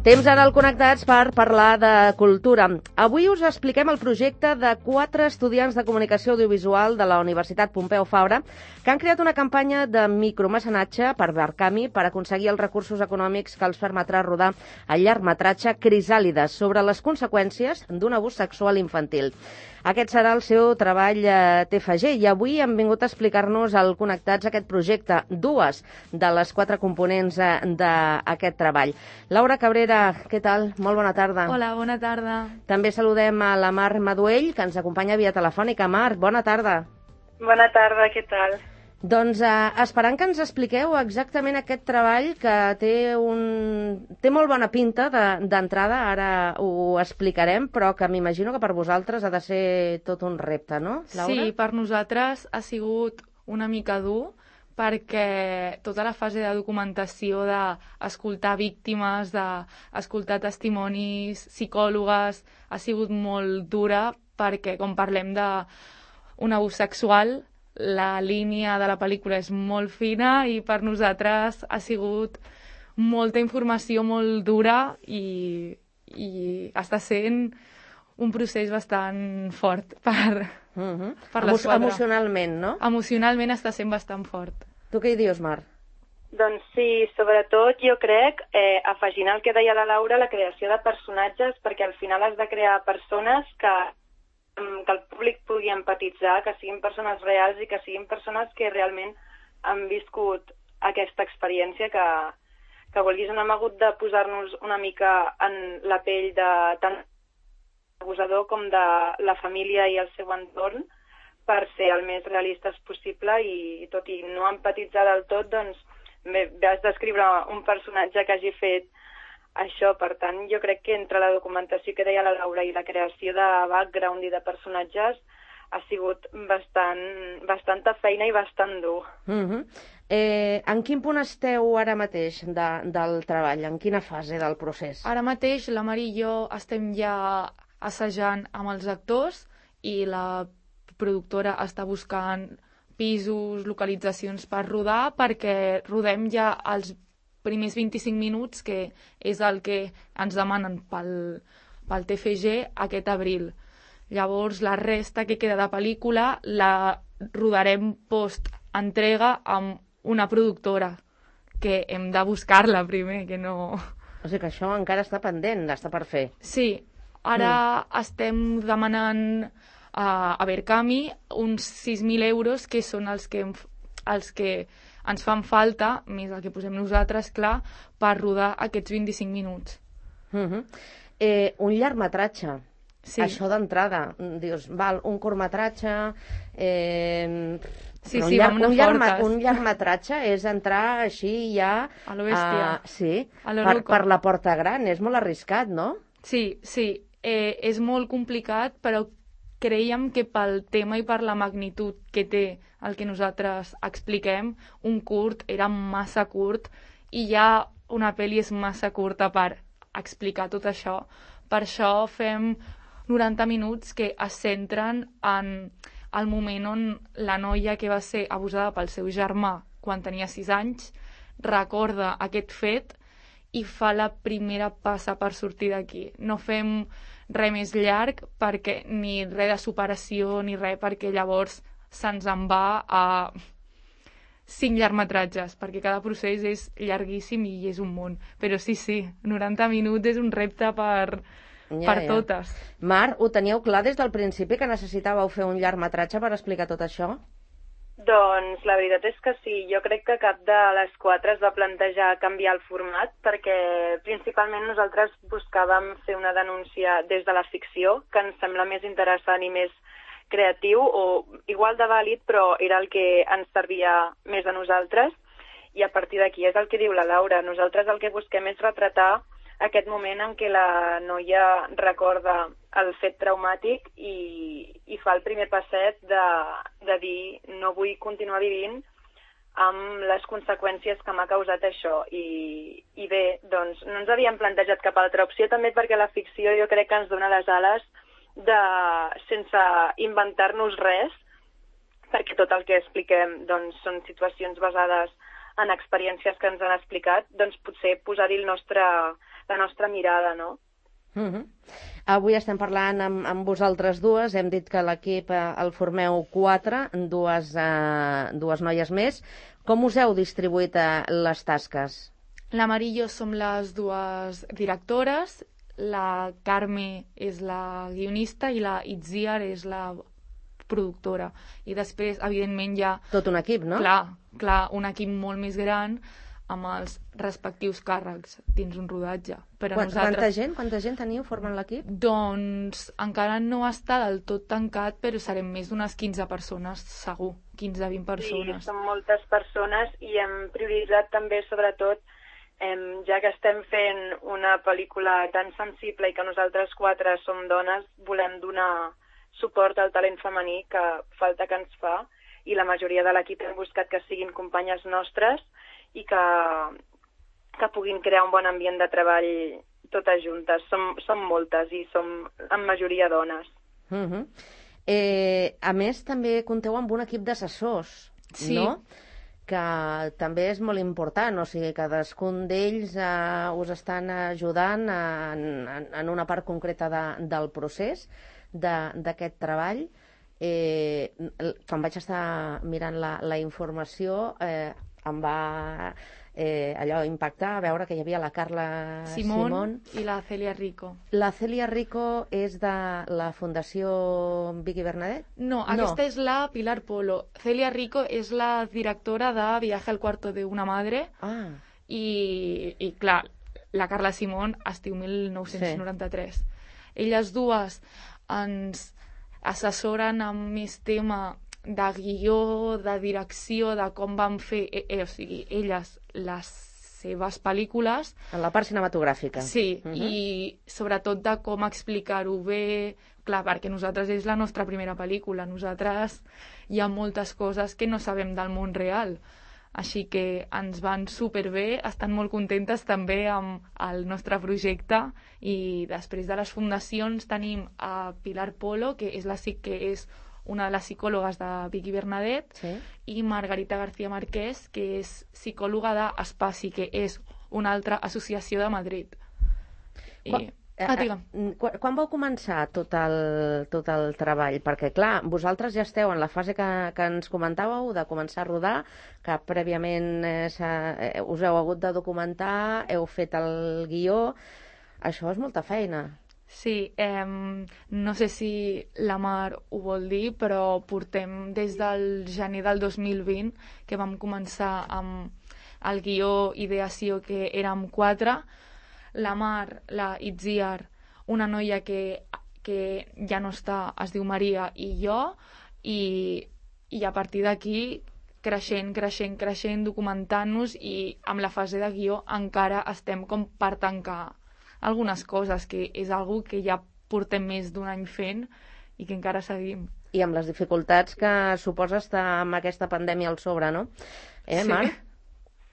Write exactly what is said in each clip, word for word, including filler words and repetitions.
Temps ara al Connectats per parlar de cultura. Avui us expliquem el projecte de quatre estudiants de comunicació audiovisual de la Universitat Pompeu Fabra que han creat una campanya de micromecenatge per Barcami per aconseguir els recursos econòmics que els permetrà rodar el llargmetratge Crisàlides sobre les conseqüències d'un abús sexual infantil. Aquest serà el seu treball eh, T F G i avui han vingut a explicar-nos al Connectats aquest projecte, dues de les quatre components eh, d'aquest treball. Laura Cabrera, què tal? Molt bona tarda. Hola, bona tarda. També saludem a la Mar Maduell, que ens acompanya via telefònica. Mar, bona tarda. Bona tarda, què tal? Doncs eh, esperant que ens expliqueu exactament aquest treball que té, un... té molt bona pinta d'entrada, de, ara ho explicarem, però que m'imagino que per vosaltres ha de ser tot un repte, no, Laura? Sí, per nosaltres ha sigut una mica dur, perquè tota la fase de documentació, d'escoltar víctimes, d'escoltar testimonis, psicòlogues, ha sigut molt dura, perquè com parlem d'un abús sexual, la línia de la pel·lícula és molt fina i per nosaltres ha sigut molta informació molt dura i, i està sent un procés bastant fort per, uh-huh. per Emo l'esquadra. Emocionalment, no? Emocionalment està sent bastant fort. Tu què hi dius, Mar? Doncs sí, sobretot jo crec, eh, afegint el que deia la Laura, la creació de personatges, perquè al final has de crear persones que que el públic pugui empatitzar, que siguin persones reals i que siguin persones que realment han viscut aquesta experiència, que, que vulguis, no hem hagut de posar-nos una mica en la pell de tant l'abusador com de la família i el seu entorn per ser el més realistes possible i tot i no empatitzar del tot, doncs bé, has d'escriure un personatge que hagi fet això. Per tant, jo crec que entre la documentació que deia la Laura i la creació de background i de personatges ha sigut bastant, bastanta feina i bastant dur. Uh-huh. eh, en quin punt esteu ara mateix de, del treball? En quina fase del procés? Ara mateix la Mar i jo estem ja assajant amb els actors i la productora està buscant pisos, localitzacions per rodar, perquè rodem ja els primers vint-i-cinc minuts, que és el que ens demanen pel, pel T F G aquest abril. Llavors, la resta que queda de pel·lícula la rodarem post-entrega amb una productora, que hem de buscar-la primer, que no... O sigui que això encara està pendent, està per fer. Sí, ara mm. estem demanant uh, a Barcami uns sis mil euros, que són els que, els que ens fan falta, més el que posem nosaltres, clar, per rodar aquests vint-i-cinc minuts. Uh-huh. eh, un llargmetratge, sí. Això d'entrada, dius, val, un curtmetratge... Eh, sí, un, sí, llar, vam un, llarg, fortes. un llargmetratge és entrar així ja... A lo bèstia. Uh, sí, a lo per, per la porta gran, és molt arriscat, no? Sí, sí, eh, és molt complicat, però creiem que pel tema i per la magnitud que té el que nosaltres expliquem, un curt era massa curt i ja una pel·li és massa curta per explicar tot això. Per això fem noranta minuts que es centren en el moment on la noia que va ser abusada pel seu germà quan tenia sis anys recorda aquest fet i fa la primera passa per sortir d'aquí. No fem res més llarg, perquè ni res de superació ni res, perquè llavors se'ns en va a cinc llargmetratges, perquè cada procés és llarguíssim i és un món. Però sí, sí, noranta minuts és un repte per, ja, per ja. totes. Mar, ho teníeu clar des del principi que necessitàveu fer un llargmetratge per explicar tot això? Doncs la veritat és que sí. Jo crec que cap de les quatre es va plantejar canviar el format, perquè principalment nosaltres buscàvem fer una denúncia des de la ficció, que ens sembla més interessant i més creatiu, o igual de vàlid, però era el que ens servia més a nosaltres, i a partir d'aquí és el que diu la Laura. Nosaltres el que busquem és retratar aquest moment en què la noia recorda el fet traumàtic i, i fa el primer passet de, de dir no vull continuar vivint amb les conseqüències que m'ha causat això. I, i bé, doncs no ens havíem plantejat cap altra opció, també perquè la ficció jo crec que ens dona les ales de, sense inventar-nos res, perquè tot el que expliquem doncs, són situacions basades en experiències que ens han explicat, doncs potser posar-hi el nostre la nostra mirada, no? Uh-huh. Avui estem parlant amb, amb vosaltres dues. Hem dit que l'equip eh, el formeu quatre, dues, eh, dues noies més. Com us heu distribuït eh, les tasques? La Mari i jo som les dues directores, la Carme és la guionista i la Itziar és la productora. I després, evidentment, hi ha... Tot un equip, no? Clar, clar, un equip molt més gran amb els respectius càrrecs dins un rodatge. Però Quant, nosaltres... Quanta gent? Quanta gent teniu formant l'equip? Doncs encara no està del tot tancat, però serem més d'unes quinze persones, segur. quinze a vint persones. Sí, són moltes persones i hem prioritzat també, sobretot, eh, ja que estem fent una pel·lícula tan sensible i que nosaltres quatre som dones, volem donar suport al talent femení que falta que ens fa, i la majoria de l'equip hem buscat que siguin companyes nostres i que, que puguin crear un bon ambient de treball totes juntes. Som, som moltes i som en majoria dones. Uh-huh. eh, a més, també compteu amb un equip d'assessors, sí. no? Que també és molt important, o sigui, cadascun d'ells eh, us estan ajudant en, en, en una part concreta de, del procés d'aquest treball. Eh, quan vaig estar mirant la, la informació eh, em va eh, allò impactar a veure que hi havia la Carla Simón, Simón i la Celia Rico. La Celia Rico és de la Fundació Vicky Bernadet? No, aquesta no. És la Pilar Polo. Celia Rico és la directora de Viaje al cuarto de una madre. Ah. I, i clar, la Carla Simón es diu mil nou-cents noranta-tres. Sí. Elles dues ens assessoren amb més tema de guió, de direcció, de com van fer, eh, eh, o sigui, elles, les seves pel·lícules. En la part cinematogràfica. Sí, uh-huh. I sobretot de com explicar-ho bé, clar, perquè nosaltres és la nostra primera pel·lícula, nosaltres hi ha moltes coses que no sabem del món real, així que ens van superbé, estan molt contentes també amb el nostre projecte. I després de les fundacions tenim a Pilar Polo, que és, la, que és una de les psicòlogues de Vicky Bernadet, sí. I Margarita García Márquez, que és psicòloga d'Espaci, que és una altra associació de Madrid. I... Quan, ah, digue'm. Quan, quan vau començar tot el, tot el treball? Perquè, clar, vosaltres ja esteu en la fase que, que ens comentàveu, de començar a rodar, que prèviament eh, eh, us heu hagut de documentar, heu fet el guió. Això és molta feina. Sí, eh, no sé si la Mar ho vol dir, però portem des del gener del dos mil vint, que vam començar amb el guió ideació, que érem quatre, la Mar, la Itziar, una noia que, que ja no està, es diu Maria, i jo, i, i a partir d'aquí creixent, creixent, creixent, documentant-nos, i amb la fase de guió encara estem com per tancar algunes coses, que és algo que ja portem més d'un any fent i que encara seguim. I amb les dificultats que suposa estar amb aquesta pandèmia al sobre, no? Eh, sí. Mar?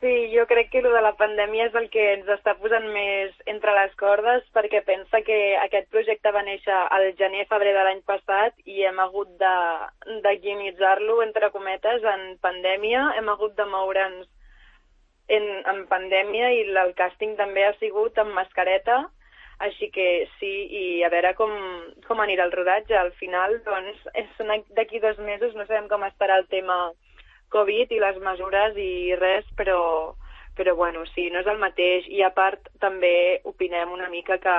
Sí, jo crec que el de la pandèmia és el que ens està posant més entre les cordes, perquè pensa que aquest projecte va néixer al gener-febrer de l'any passat i hem hagut de, de guionitzar-lo, entre cometes, en pandèmia. Hem hagut de moure'ns En, en pandèmia, i el càsting també ha sigut amb mascareta, així que sí, i a veure com, com anirà el rodatge. Al final, doncs, són d'aquí dos mesos, no sabem com estarà el tema Covid i les mesures i res, però, però bueno, sí, no és el mateix. I a part, també opinem una mica que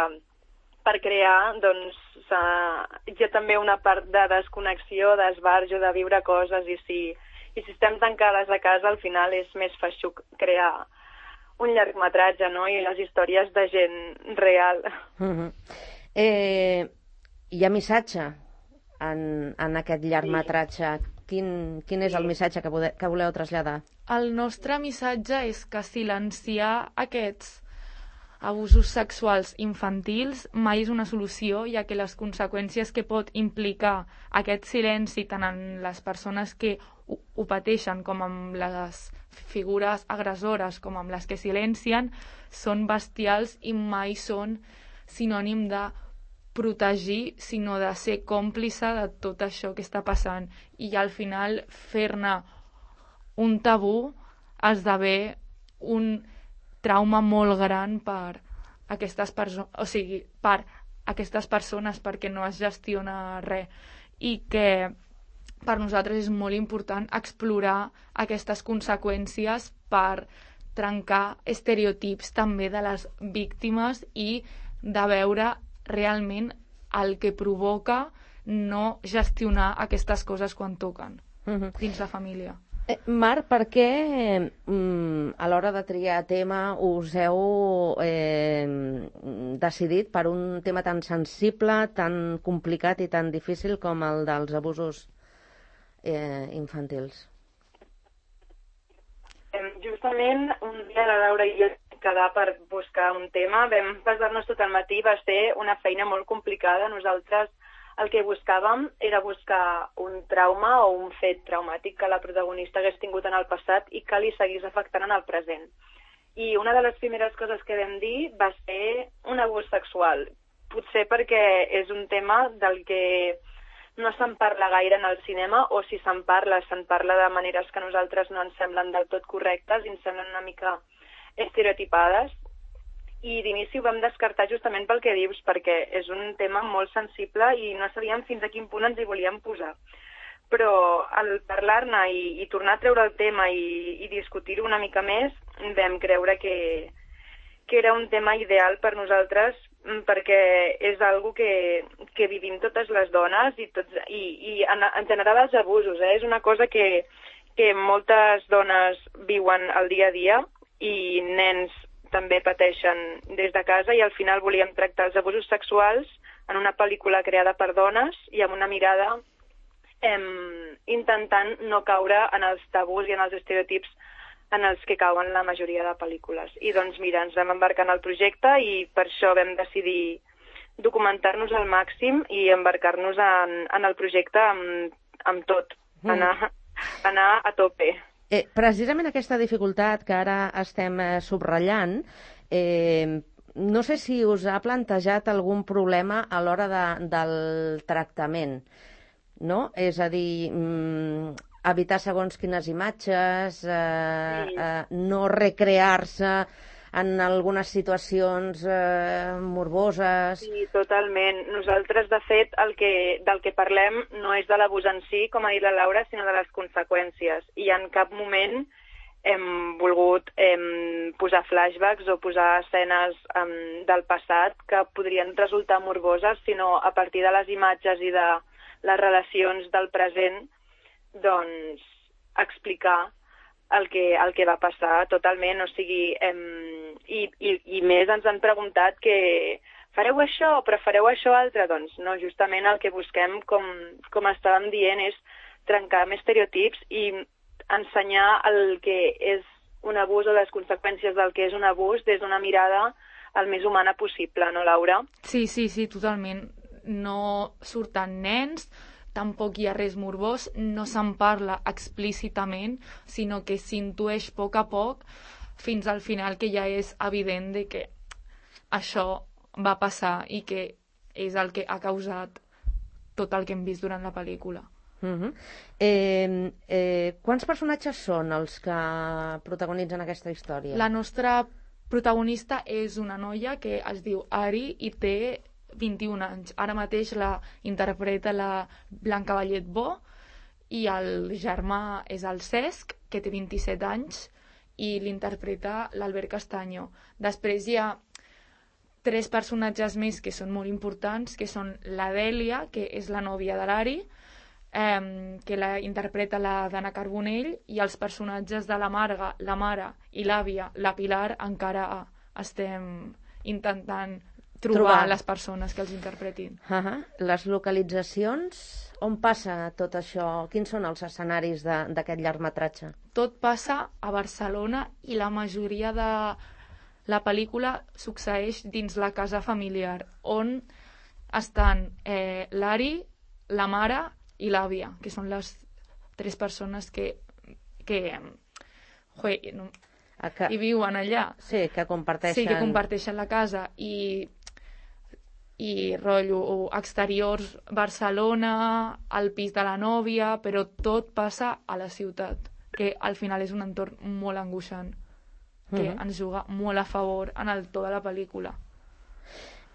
per crear, doncs, hi ha també una part de desconnexió, d'esbarjo, de viure coses, i sí, I si estem tancades a casa, al final és més feixuc crear un llargmetratge, no? I les històries de gent real. Uh-huh. eh, hi ha missatge en, en aquest llargmetratge. Sí. Quin, quin és sí. el missatge que, vode, que voleu traslladar? El nostre missatge és que silenciar aquests abusos sexuals infantils mai és una solució, ja que les conseqüències que pot implicar aquest silenci tant en les persones que ho, ho pateixen com amb les figures agressores com amb les que silencien són bestials i mai són sinònim de protegir, sinó de ser còmplice de tot això que està passant. I al final fer-ne un tabú esdevé un trauma molt gran per, aquestes persones, o sigui, per aquestes persones, perquè no es gestiona res, i que per nosaltres és molt important explorar aquestes conseqüències per trencar estereotips també de les víctimes i de veure realment el que provoca no gestionar aquestes coses quan toquen uh-huh. dins la família. Eh, Marc, per què mm, a l'hora de triar tema us heu eh, decidit per un tema tan sensible, tan complicat i tan difícil com el dels abusos eh, infantils? Justament un dia la Laura i jo quedar per buscar un tema, vam passar-nos tot el matí, va ser una feina molt complicada. Nosaltres el que buscàvem era buscar un trauma o un fet traumàtic que la protagonista hagués tingut en el passat i que li seguís afectant en el present. I una de les primeres coses que vam dir va ser un abús sexual. Potser perquè és un tema del que no se'n parla gaire en el cinema, o si se'n parla, se'n parla de maneres que a nosaltres no ens semblen del tot correctes i ens semblen una mica estereotipades. I d'inici ho vam descartar justament pel que dius, perquè és un tema molt sensible i no sabíem fins a quin punt ens hi volíem posar. Però al parlar-ne i, i tornar a treure el tema i, i discutir-ho una mica més, vam creure que, que era un tema ideal per nosaltres, perquè és algo que, que vivim totes les dones i, tots, i, i en, en general els abusos. Eh? És una cosa que, que moltes dones viuen al dia a dia i nens també pateixen des de casa, i al final volíem tractar els abusos sexuals en una pel·lícula creada per dones i amb una mirada eh, intentant no caure en els tabús i en els estereotips en els que cauen la majoria de pel·lícules. I doncs mira, ens vam embarcar en el projecte i per això vam decidir documentar-nos al màxim i embarcar-nos en, en el projecte amb, amb tot, mm. anar, anar a tope. Eh, precisament aquesta dificultat que ara estem eh, subratllant, eh, no sé si us ha plantejat algun problema a l'hora de, del tractament, no? És a dir, mm, evitar segons quines imatges, eh, sí. eh, no recrear-se en algunes situacions eh, morboses... Sí, totalment. Nosaltres, de fet, el que, del que parlem no és de l'abús en si, com ha dit la Laura, sinó de les conseqüències. I en cap moment hem volgut hem, posar flashbacks o posar escenes hem, del passat que podrien resultar morboses, sinó a partir de les imatges i de les relacions del present, doncs, explicar el que, el que va passar totalment, o sigui, em, i, i, i més ens han preguntat que fareu això, però fareu això altre, doncs no, justament el que busquem, com, com estàvem dient, és trencar amb estereotips i ensenyar el que és un abús o les conseqüències del que és un abús des d'una mirada el més humana possible, no, Laura? Sí, sí, sí, totalment. No surten nens, tampoc hi ha res morbós, no se'n parla explícitament, sinó que s'intueix a poc a poc fins al final, que ja és evident de que això va passar i que és el que ha causat tot el que hem vist durant la pel·lícula. Uh-huh. eh, eh, quants personatges són els que protagonitzen aquesta història? La nostra protagonista és una noia que es diu Ari i té vint-i-un anys. Ara mateix la interpreta la Blanca Vallet Bo i el germà és el Cesc, que té vint-i-set anys, i l'interpreta l'Albert Castanyo. Després hi ha tres personatges més que són molt importants, que són la Dèlia, que és la nòvia de l'Ari, eh, que la interpreta la Dana Carbonell, i els personatges de la Marga, la mare i l'àvia, la Pilar, encara estem intentant trobar, trobar les persones que els interpretin. Uh-huh. Les localitzacions, on passa tot això? Quins són els escenaris d'aquest llargmetratge? Tot passa a Barcelona i la majoria de la pel·lícula succeeix dins la casa familiar, on estan eh, l'Ari, la mare i l'àvia, que són les tres persones que, que jue, no, que, hi viuen allà. Sí, que comparteixen... Sí, que comparteixen la casa i i rotllo exteriors Barcelona, al pis de la nòvia, però tot passa a la ciutat, que al final és un entorn molt angoixant, que uh-huh. ens juga molt a favor en el to de la pel·lícula.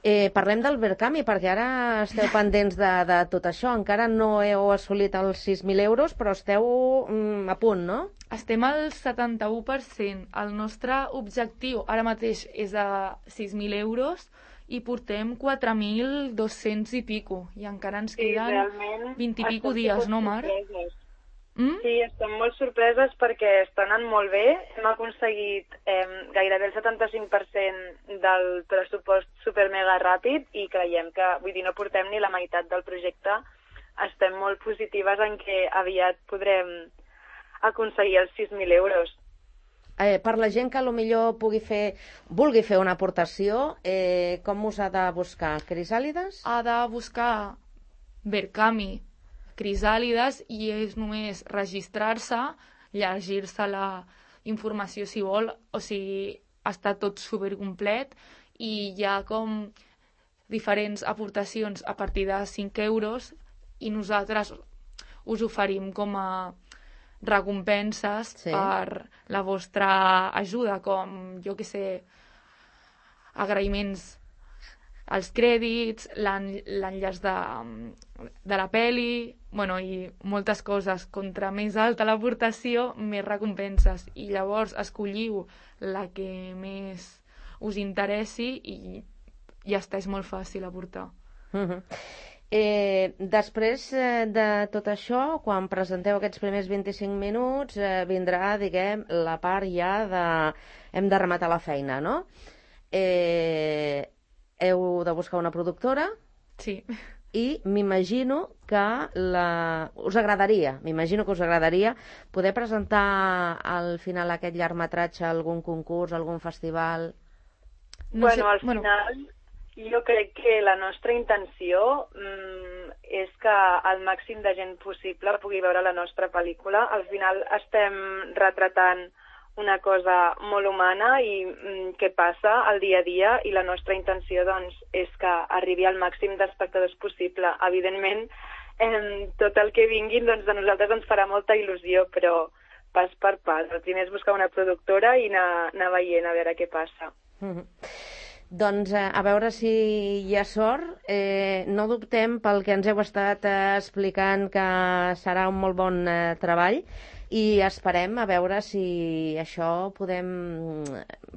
Eh, parlem del Verkami, perquè ara esteu pendents de, de tot això. Encara no heu assolit els sis mil euros, però esteu mm, a punt, no? Estem al setanta-u per cent. El nostre objectiu ara mateix és de sis mil euros i portem quatre mil dos-cents i pico. I encara ens queden vint i pico dies, no, Mar? Mm? Sí, estem molt sorpreses perquè està anant molt bé. Hem aconseguit eh, gairebé el setanta-cinc per cent del pressupost super mega ràpid i creiem que, vull dir, no portem ni la meitat del projecte. Estem molt positives en què aviat podrem aconseguir els sis mil euros. Eh, per la gent que potser pugui fer, vulgui fer una aportació, eh, com us ha de buscar? Crisàlides? Ha de buscar Verkami Crisàlides i és només registrar-se, llegir-se la informació si vol, o sigui, està tot supercomplet i hi ha com diferents aportacions a partir de cinc euros i nosaltres us oferim com a recompenses sí. per la vostra ajuda, com, jo que sé, agraïments als crèdits, l'enllaç de, de la peli, bueno, i moltes coses. Contra més alta l'aportació, més recompenses. I llavors escolliu la que més us interessi i ja està, és molt fàcil aportar. Uh-huh. Eh, després eh, de tot això, quan presenteu aquests primers vint-i-cinc minuts, eh, vindrà, diguem, la part ja de... hem de rematar la feina, no? Eh... heu de buscar una productora. Sí. I m'imagino que la... us agradaria, m'imagino que us agradaria poder presentar al final aquest llargmetratge a algun concurs, algun festival. No bueno, sé... al bueno. final jo crec que la nostra intenció mm, és que el màxim de gent possible pugui veure la nostra pel·lícula. Al final estem retratant una cosa molt humana i mm, que passa al dia a dia i la nostra intenció doncs, és que arribi al màxim d'espectadors possible. Evidentment, eh, tot el que vinguin doncs, a nosaltres ens farà molta il·lusió, però pas per pas. El primer és buscar una productora i anar, anar veient a veure què passa. Mm-hmm. Doncs eh, a veure si hi ha sort. Eh, no dubtem pel que ens heu estat eh, explicant que serà un molt bon eh, treball. I esperem a veure si això podem,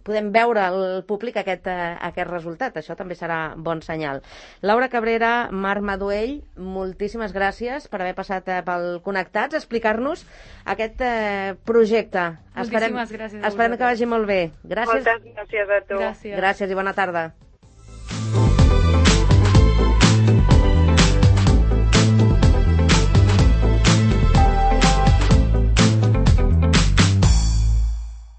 podem veure al públic aquest, aquest resultat. Això també serà bon senyal. Laura Cabrera, Marc Maduell, moltíssimes gràcies per haver passat pel Connectats, explicar-nos aquest eh, projecte. Moltíssimes esperem, gràcies. Esperem que vagi molt bé. Gràcies. Moltes gràcies a tu. Gràcies. Gràcies i bona tarda.